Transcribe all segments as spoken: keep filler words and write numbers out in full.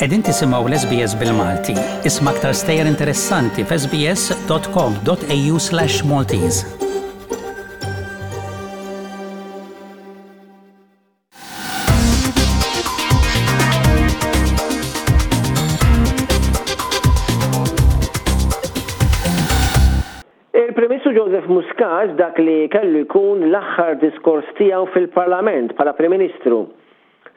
Qegħdin tisimgħu l-S B S bil-Malti. Isma' aktar stejjer interessanti f'S B S dot com dot A U slash Maltese. Il-Prim Ministru Joseph Muscat, dak li kellu jkun l-aħħar diskors tiegħu fil-Parlament bħala Prim Ministru,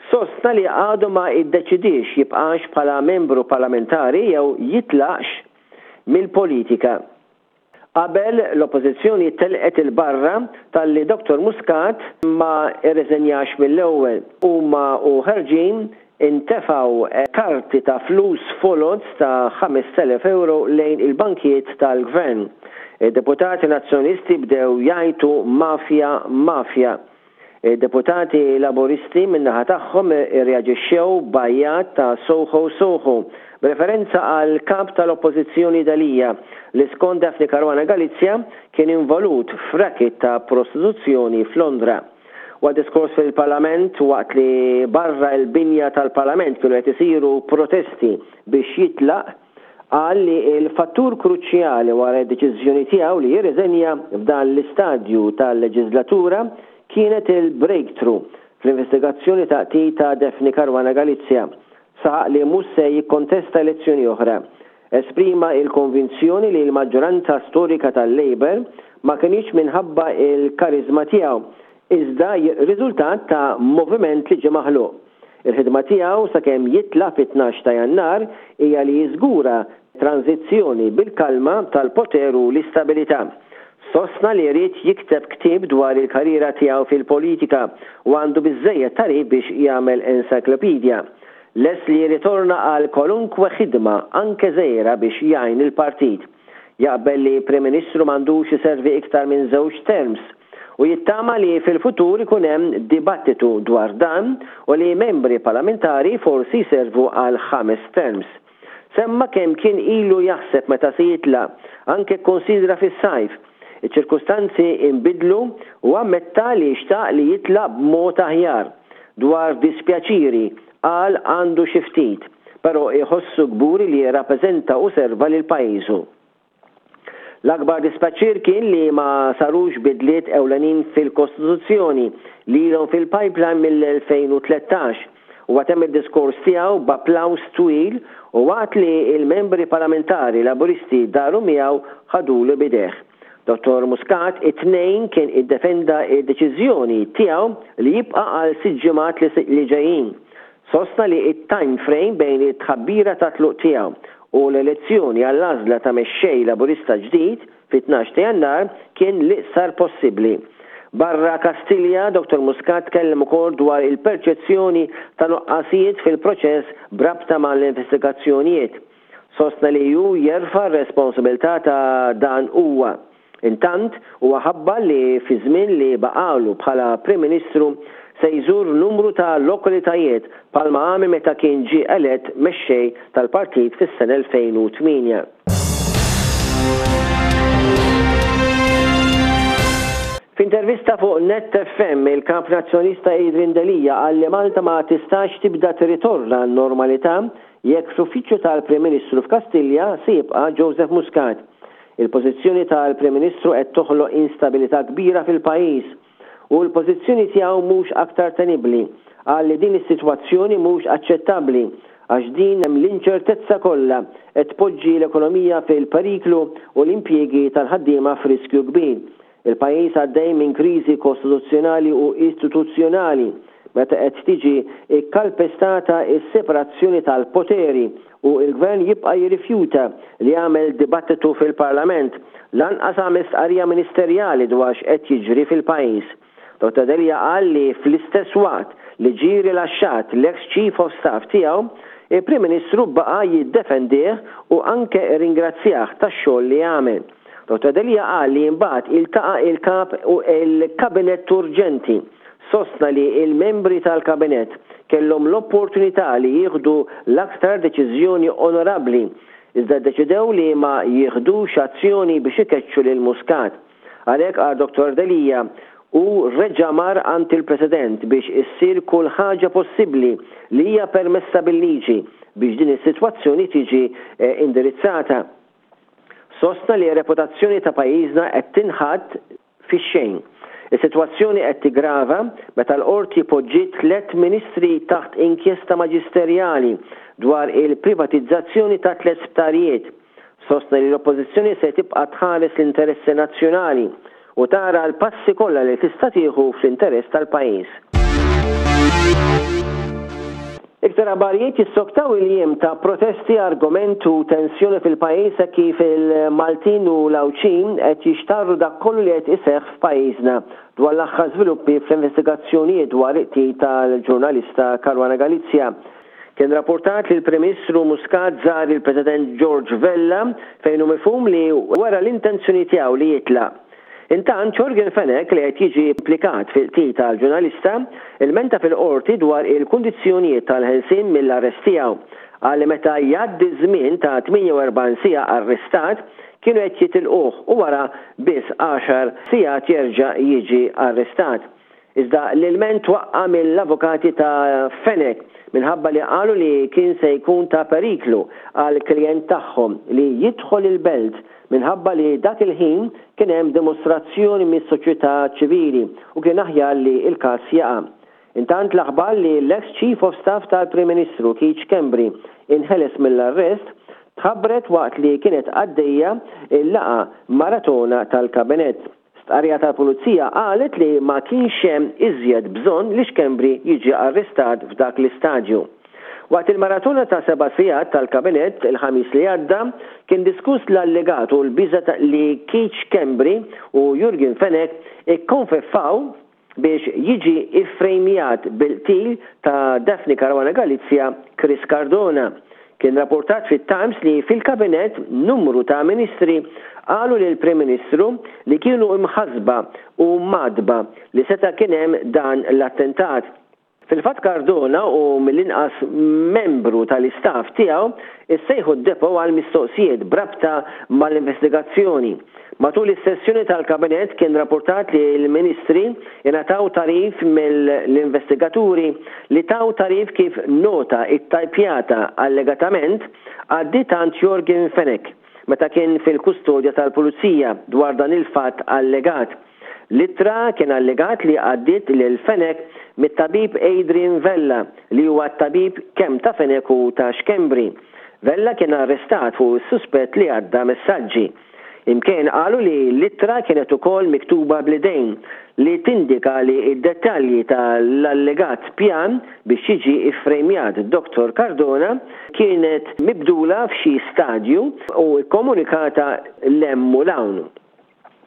sostna li għadu ma iddeċidix jibqax bħala membru parlamentari jew jitlaqx mill-politika. Qabel, l-oppożizzjoni telqet il-barra talli Dottor Muscat ma irreżenjax mill-ewwel. Huma u ħerġin intefgħu karti ta' flus foloz ta' ħamest elef euro lejn il-bankijiet tal-gvern. Deputati nazzjonisti bdew jgħajtu "mafja, mafja". Deputati Laburisti min-naħa tagħhom irreaġixxew b'għajjat ta' "Soho Soho", b'referenza għal kap tal-Oppożizzjoni Delia li skont Daphne Caruana Galizia kien involut f'racket ta' prostituzzjoni f'Londra. Waqt diskors fil-Parlament, waqt li barra l-binja tal-Parlament kienu qed isiru protesti biex jitlaq, qal li il-fattur kruċjali wara d-deċiżjoni tiegħu li jirriżenja f'dan l-istadju tal-leġislatura kienet il-breakthrough fl-investigazzjoni ta' ta' Daphne Caruana Galizia. Saħaq li mhux se jikkontesta elezzjoni oħra. Esprima il-konvinzjoni li l-maġġoranza storika tal-Labour ma kienx minħabba il-karizma tiegħu, iżda riżultat ta' moviment li ġie maħluq. Il-ħidma tiegħu sakemm jitla' fit-tnax ta' Jannar hija li jiżgura tranzizzjoni bil-kalma tal-poter u l-istabilità. Sostna li jrid jikteb ktieb dwar il-karriera tiegħu fil-politika u għandu biżejjed tagħrif biex jagħmel encyclopedia. Lest li jirritorna għal kwalunkwe ħidma, anke żgħira, biex jgħin il-partit. Jaqbel li Prim Ministru m'għandux iservi iktar minn żewġ terms u jittama li fil-futur ikun hemm dibattitu dwar dan u li membri parlamentari forsi jservu għal ħames terms. Semma kemm kien ilu jaħseb meta se jitla', anke konsidra fis-sajf. Iċ-ċirkustanzi imbidlu u ammetta li xtaq li jitla' b'mod aħjar. Dwar dispjaċiri, qal għandu xi ftit, però iħossu kburi li jirrappreżenta u serva lil pajjiżu. L-akbar dispjaċir kien li ma sarux bidliet ewlenin fil-Kostituzzjoni li ilhom fil-pipeline mill-elfejn u tlettax. U temm id-diskors tiegħu b'applaws twil u waqt li il-membri parlamentari Laburisti daru miegħu ħadulu b'idejh. Dottor Muscat it-Tnejn kien iddefenda id-deċiżjoni tiegħu li jibqa' għal sitt ġimgħat li ġejjin. Sostna li it-time frame bejn it-tħabbira ta' tluq tiegħu u l-elezzjoni għall-għażla ta' mexxej Laburista ġdid fit-tnax ta' Jannar kien l-iqsar possibbli. Barra Kastilja, Dottor Muscat tkellem ukoll dwar il-perċezzjoni ta' nuqqasijiet fil-proċess b'rabta mal-investigazzjonijiet. Sostna li ju jerfa' responsabilità ta' dan huwa. Intant, huwa ħabbar li fi żmien li baqalu bħala Prim Ministru se jżur numru ta' lokalitajiet bħalma għamel meta kien ġie elett mexxej tal-partit fis-sena elfejn u tmienja. F'intervista fuq Net F M, il-kap nazzjonalista Adrian Delia qal li Malta ma tistax tibda tirritorna normalità jekk fl-uffiċċju tal-Prim Ministru f'Kastilja se jibqa' Joseph Muscat. Il-pożizzjoni tal-Prim Ministru qed toħloq instabilità kbira fil-pajjiż u l-pożizzjoni tiegħu mhux aktar tenibbli. Qal li din is-sitwazzjoni mhux aċċettabbli għax din hemm l-inċertezza kollha qed tpoġġi l-ekonomija fil-periklu u l-impjiegi tal-ħaddiema f'riskju kbir. Il-pajjiż għaddej minn kriżi kostituzzjonali u istituzzjonali meta qed tiġi ikkalpestata s-separazzjoni tal-poteri u il-gvern jibqa' jirrifjuta li jagħmel dibattitu fil-Parlament, lanqas għamel stqarrija ministerjali dwar x'qed jiġri fil-pajjiż. Dottor Delia qal li fl-istess waqt li ġie rilaxxat l-ex Chief of Staff tiegħu, il-Prim Ministru baqa' jiddefendih u anke ringrazzjah tax-xogħol li għamel. Dottor Delia qal li mbagħad iltaqa' il-kap u il-kabinett urġenti. Sostna li il-membri tal-kabinett kellhom l-opportunità li jieħdu l-aktar deċiżjoni onorabbli, iżda deċidew li ma jieħdux azzjoni biex ikeċċu lil Muscat. Għalhekk, qal Dottor Delia, u reġa' mar għand il-President biex issir kull ħaġa possibbli li hija permessa bil-liġi biex din is-sitwazzjoni tiġi eh, indirizzata. Sostna li r-reputazzjoni ta' pajjiżna qed tinħatt fix-xejn. Is-sitwazzjoni qed tigrava meta l-qorti poġġiet tliet ministri taħt inkjesta maġisterjali dwar il-privatizzazzjoni ta' tliet sptarijiet. Sostna li l-Oppożizzjoni se tibqa' tħares l-interessi nazzjonali u tara l-passi kollha li tista' tieħu fl-interess tal-pajjiż. Iktar aħbarijiet jissoktaw il-jiem ta' protesti, argument u tensjoni fil-pajjiż hekk kif il-Maltin u l-Għawdxin qed jixtarru dak kollu li qed iseħħ f'pajjiżna dwar l-aħħar żviluppi fl-investigazzjonijiet dwar il-qtil tal-ġurnalista Caruana Galizia. Kien rapportat li l-Prim Ministru Muscat żar il-President George Vella fejn hu mifhum li wera l-intenzjoni tiegħu li jitlaq. Intant, Yorgen Fenech li qed jiġi implikat fil-qtil tal-ġurnalista, ilmenta fil-qorti dwar il-kundizzjonijiet tal-ħelsien mill-arrest tiegħu. Qal li meta jgħaddi żmien ta' tmienja u erbgħin siegħa arrestat, kienu qed jitilquh u wara biss għaxar sigħat jerġa' jiġi arrestat. Iżda l-ilment twaqqa' mill-avukati ta' Fenech minħabba li qalu li kien se jkun ta' periklu għall-klijent tagħhom li jidħol il-Belt minħabba li dak il-ħin kien hemm dimostrazzjoni mis-soċjetà ċivili u kien aħjar li l-każ jaqa'. Intant l-aħbar li l-eks Chief of Staff tal-Prim Ministru Keith Schembri inħeles mill-arrest tħabbret waqt li kienet għaddejja l-laqgħa maratona tal-Kabinett. Stqarrija tal-Pulizija qalet li ma kienx hemm iżjed bżonn li Schembri jiġi arrestat f'dak l-istadju. Waqt il-maratona ta' seba' sigħat tal-Kabinett il-Ħamis li għadda, kien diskuss l-allegat u l-biża' li Keith Schembri u Yorgen Fenech ikkonfeffaw biex jiġi iffrejmjat bil-qtil ta' Daphne Caruana Galizia Chris Cardona. Kien rapportat fit-Times li fil-Kabinett numru ta' ministri qalu lill-Prim Ministru li kienu imħassba u mgħaddba li seta' kien hemm dan l-attentat. Fil-fatt Cardona u mill-inqas membru tal-istaff tiegħu issejħu d-depot għal mistoqsijiet b'rabta mal-investigazzjoni. Matul is-sessjoni tal-Kabinett kien rapportat li l-ministri ingħataw tagħrif mill-investigaturi li taw tagħrif kif nota ttajpjata allegatament għaddiet għand Yorgen Fenech meta kien fil-kustodja tal-Pulizija dwar dan il-fatt allegat. L-ittra kien allegat li għaddiet lil Fenech mit-tabib Adrian Vella li huwa t-tabib kemm ta' Fenech u ta' Schembri. Vella kien arrestat fuq is-suspett li għadda messaġġi. Imkien qalu li l-ittra kienet ukoll miktuba bl-idejn li tindika li d-dettalji tal-allegat pjan biex jiġi iffrejmjat Dottor Cardona kienet mibdula f'xi stadju u kkomunikata 'l hemm u 'l hawn.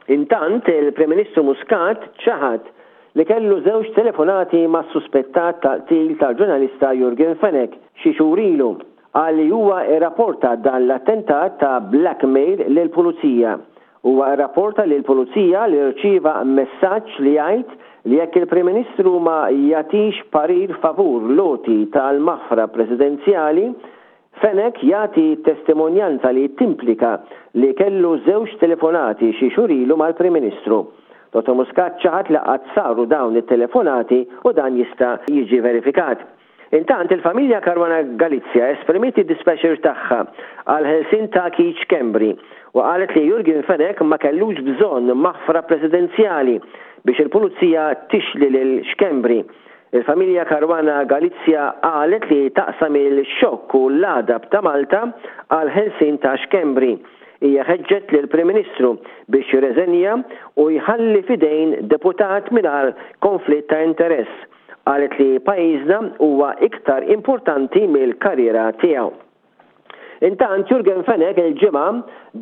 Intant, il-Prim Ministru Muscat ċaħad li kellu żewġ telefonati mas-suspettat tal-qtil tal-ġurnalista Yorgen Fenech xi xhur ilu. Qal li huwa rrapporta dan l-attentat ta' blackmail lill-Pulizija. Huwa rrapporta lill-Pulizija li rċieva messaġġ li jgħid li jekk il-Prim Ministru ma jagħtix parir favur l-għoti tal-maħfra presidenzjali, Fenech jagħti testimonjanza li timplika li kellu żewġ telefonati xi xhur ilu mal-Prim Ministru. Dottor Muscat ċaħad li qatt saru dawn it-telefonati u dan jista' jiġi verifikat. Intant, il-familja Caruana Galizia esprimiet id-dispjaċir tagħha għall-ħelsien ta' Keith Schembri u qalet li Yorgen Fenech ma kellux bżonn maħfra presidenzjali biex il-pulizija tixli lil Schembri. Il-familja Caruana Galizia qalet li taqsam il-xokk u l-għadab ta' Malta għall-ħelsien ta' Schembri. Hija ħeġġet lill-Prim Ministru biex jirreżenja u jħalli f'idejn deputat mingħajr konflitt ta' interess. Qalet li pajjiżna huwa iktar importanti mill-karriera tiegħu. Intant, Yorgen Fenech il-Ġimgħa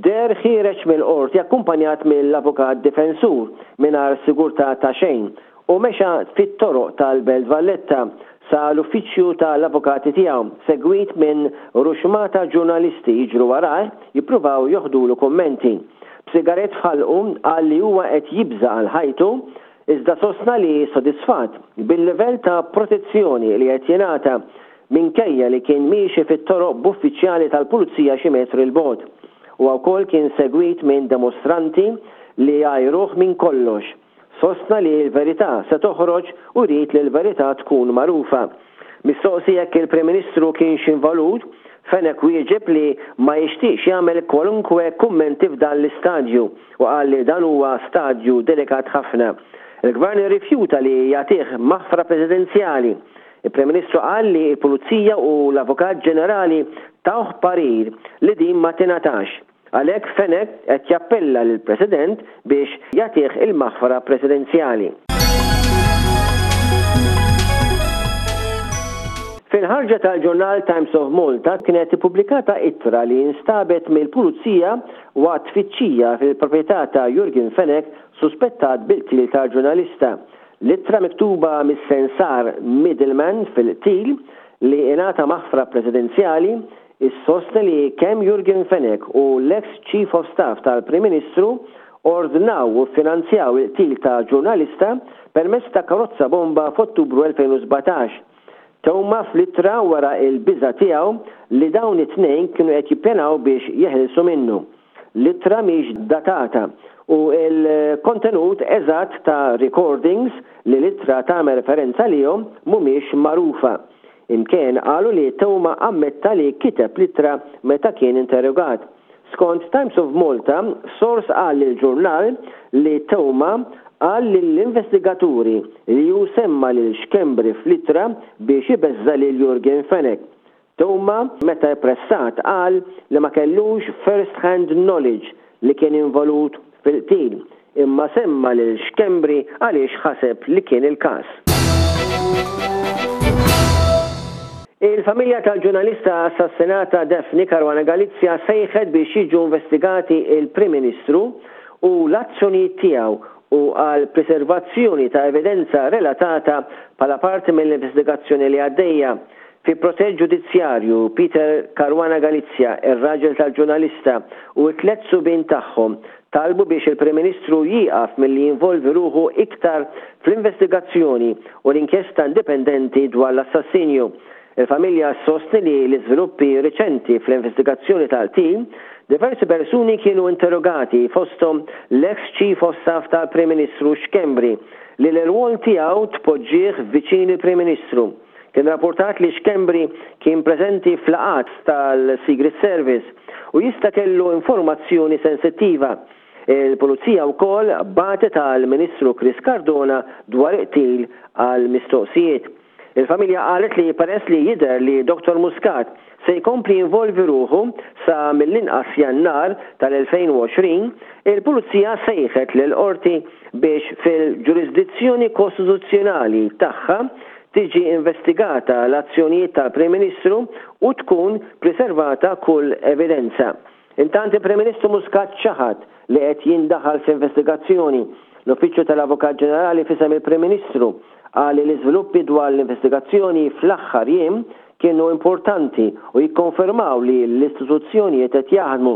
deher ħiereġ mill-qorti akkumpanjat mill-avukat difensur mingħajr sigurtà ta' xejn u mexa fit-toroq tal-Belt Valletta sa l-uffiċċju tal-avukati tiegħu segwit minn ruxmata ġurnalisti jiġru warajh jippruvaw joħdulu kummenti. B'sigarett f'ħalqu qal li huwa qed jibża' għal ħajtu iżda sostna li sodisfatt bil-livell ta' protezzjoni li qed jingħata minkejja li kien miexi fit-toroq b'uffiċjali tal-pulizija xi metri 'l bogħod. Huwa wkoll kien segwit minn demostranti li għajruh minn kollox. Sostna li l-verità se toħroġ u jrid li l-verità tkun magħrufa. Mistoqsi jekk il-Prim Ministru kienx involut, Fenech wieġeb li ma jixtieqx jagħmel kwalunkwe kummenti f'dan l-istadju u qal li dan huwa stadju delikat ħafna. Il-Gvern irrifjuta li jagħtih maħfra presidenzjali. Il-Prim Ministru qal li l-Pulizija u l-Avukat Ġenerali tawh parir li din ma tingħatax. Għalhekk Fenech qed jappella lill-President biex jagħtih il-maħfra presidenzjali. Fil-ħarġa tal-ġurnal Times of Malta kienet ippubblikata ittra li instabet mill-Pulizija waqt tfittxija fil-proprjetà ta' Yorgen Fenech suspettat bil-qtil tal-ġurnalista. L-ittra miktuba mis-sensar middleman fil-qtil li ingħata maħfra presidenzjali issostni li kemm Yorgen Fenech u l-ex Chief of Staff tal-Prim Ministru ordnaw u finanzjaw il-qtil ta' ġurnalista permezz ta' karozza bomba f'Ottubru elfejn u sbatax. Theuma fl-ittra wara il-biża' tiegħu li dawn it-tnejn kienu qed jippjanaw biex jeħilsu minnu. L-ittra mhix datata u l-kontenut eżatt ta' recordings li l-ittra tagħmel referenza lihom mhumiex magħrufa. Imkien qalu li Theuma ammetta li kiteb l-ittra meta kien interrogat. Skont Times of Malta, sors qal lill-ġurnal li Theuma qal lill-investigaturi li hu semma lil Schembri fl-ittra biex ibeżża' lil Yorgen Fenech. Theuma meta pressat qal li ma kellux first-hand knowledge li kien involut fil-qtil, imma semma lil Schembri għaliex ħaseb li kien il-każ. Il-familja tal-ġurnalista assassinata Daphne Caruana Galizia sejħet biex jiġu investigati il-Prim Ministru u l-azzjonijiet tiegħu u għal preservazzjoni ta' evidenza relatata bħala parti mill-investigazzjoni li għaddejja. Fi protest ġudizzjarju, Peter Caruana Galizia, ir-raġel tal-ġurnalista, u t-tliet subien tagħhom talbu biex il-Prim Ministru jieqaf milli jinvolvi ruħu iktar fl-investigazzjoni u l-inkjesta indipendenti dwar l-assassinju. Il-familja sostni li l-iżviluppi riċenti fl-investigazzjoni tal-qtil, diversi persuni kienu interrogati fosthom l-ex Chief of Staff tal-Prim Ministru Schembri li l-rwol tiegħu tpoġġih viċin il-Prim Ministru. Kien rapportat li Schembri kien preżenti fl-laqgħat tal-Secret Service u jista' kellu informazzjoni sensittiva. Il-Pulizija wkoll bagħtet għall-Ministru Chris Cardona dwar il-qtil għal mistoqsijiet. Il-familja qalet li peress li jidher li Doktor Muscat se jkompli jinvolvi ruħu sa mill-inqas Jannar tal-elfejn u għoxrin, il-Pulizija sejħet lill-qorti biex fil-ġurisdizzjoni kostituzzjonali tagħha tiġi investigata l-azzjonijiet tal-Prim Ministru u tkun preservata kull evidenza. Intant il-Prim Ministru Muscat ċaħad li qed jindaħal f'investigazzjoni. L-Uffiċċju tal-Avukat Ġenerali fisem il-Prim Ministru qal li l-iżviluppi dwar l-investigazzjoni fl-aħħar jiem kienu importanti u jikkonfermaw li l-istituzzjonijiet qed jaħdmu.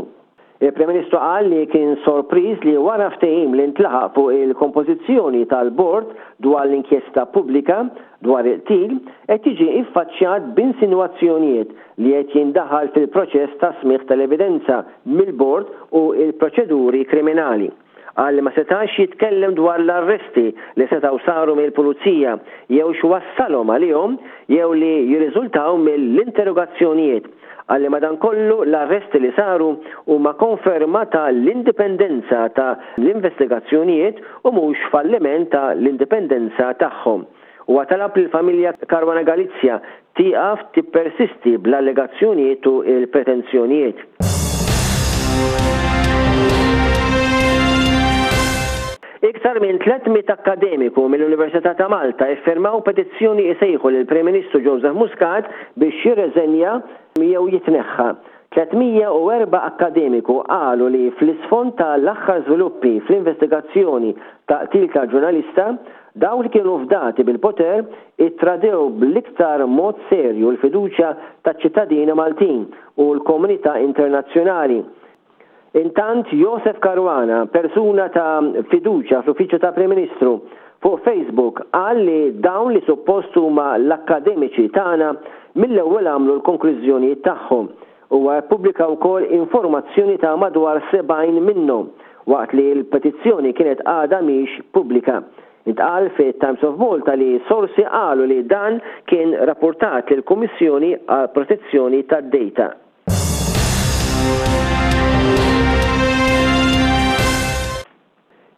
Il-Prim Ministru qal li kien sorpriż li wara ftehim li ntlaħaq fuq il-kompożizzjoni tal-bord dwar l-inkjesta pubblika dwar il-qtil qed jiġi iffaċċjat b'insinwazzjonijiet li qed jindaħal fil-proċess ta' smigħ tal-evidenza mill-bord u l-proċeduri kriminali. Qal li ma setax jitkellem dwar l-arresti li setgħu saru mill-pulizija jew x'wassalhom għalihom jew li jirriżultaw mill-interrogazzjonijiet. Qal li madankollu l-arresti li saru huma konferma ta' l-indipendenza ta' l-investigazzjonijiet u mhux falliment ta' l-indipendenza tagħhom. Huwa talab lill-familja Caruana Galizia tieqaf tippersisti bl-allegazzjonijiet u l-pretenzjonijiet. Iktar minn tliet mitt akkademiku mill-Università ta' Malta iffirmaw petizzjoni isejħu lill-Prim Ministru Joseph Muscat biex jirreżenja jew jitneħħa. tliet mija u erba' akkademiku qalu li fl-isfond tal-aħħar żviluppi fl-investigazzjoni ta' qtil ta' ġurnalista, dawk li kienu fdati bil-poter ittradew bl-iktar mod serju l-fiduċja taċ-ċittadini Maltin u l-komunità internazzjonali. Intant Josef Caruana, persuna ta' fiduċja fl-Uffiċċju ta' Prim Ministru, fuq Facebook qal li dawn li suppost huma l-akkademiċi tagħna mill-ewwel għamlu l-konklużjonijiet tagħhom. Huwa ppubblika wkoll informazzjoni ta' madwar sebgħin minnhom waqt li l-petizzjoni kienet għadha mhix pubblika. Intqal fi Times of Malta li sorsi qalu li dan kien rapportat lill-Kummissjoni għall-Protezzjoni tad-Data.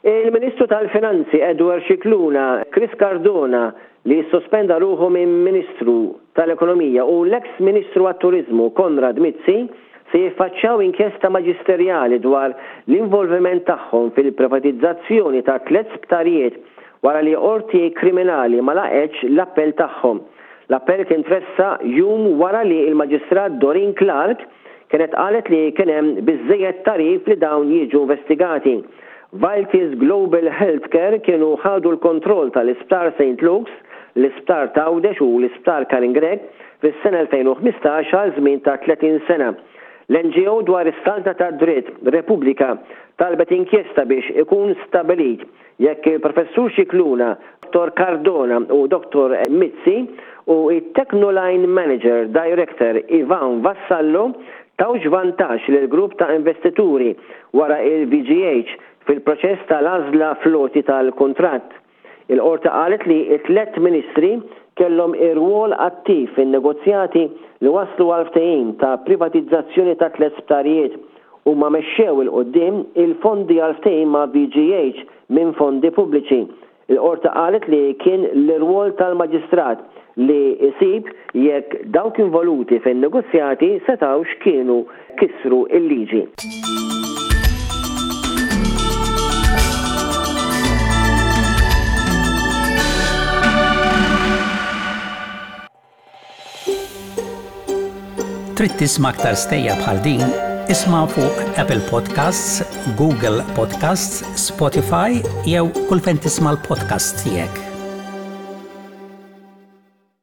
Il-Ministru tal-Finanzi Edward Scicluna, Chris Cardona li ssospenda ruħu minn Ministru tal-Ekonomija u l-eks Ministru għat-Turiżmu Konrad Mizzi se jiffaċċjaw inkjesta maġisterjali dwar l-involviment tagħhom fil-privatizzazzjoni ta' tliet sptarijiet wara li qorti kriminali ma laqgħetx l-appell tagħhom. L-appell kien tressaq jum wara li l-Maġistrat Doreen Clarke kienet qalet li kien hemm biżżejjed tagħrif li dawn jiġu investigati. Vitis Global Healthcare kienu ħadu l-kontroll tal-Isptar Saint Luke's, l-Isptar t'Għawdex u l-Isptar Karin Grech fis-sena elfejn u ħmistax għal żmien ta' tletin sena. L-N G O dwar is-saltna tad-dritt, Repubblika, talbet inkjesta biex ikun stabilit jekk il-Professur Scicluna, Dottor Cardona u Dottor Mizzi u t-Technoline Manager Director Ivan Vassallo tawx vantaġġ lil grupp ta' investituri wara il-V G H fil-proċess tal-għażla fl-għoti tal-kuntratt. Il-qorti qalet li t-tliet ministri kellhom irwol attiv fin-negozjati li waslu għal ftehim ta' privatizzazzjoni ta' tliet sptarijiet u ma mexxew 'il quddiem il-fondi għal ftehim ma' V G H minn fondi pubbliċi. Il-qorti qalet li kien l-irwol tal-maġistrat li jsib jekk dawk involuti fin-negozjati setawx kienu kisru il-liġi. Trid tisma' aktar stejjer bħal din? Isma' fuq Apple Podcasts, Google Podcasts, Spotify jew kull fejn tisma' l-podcast tiegħek.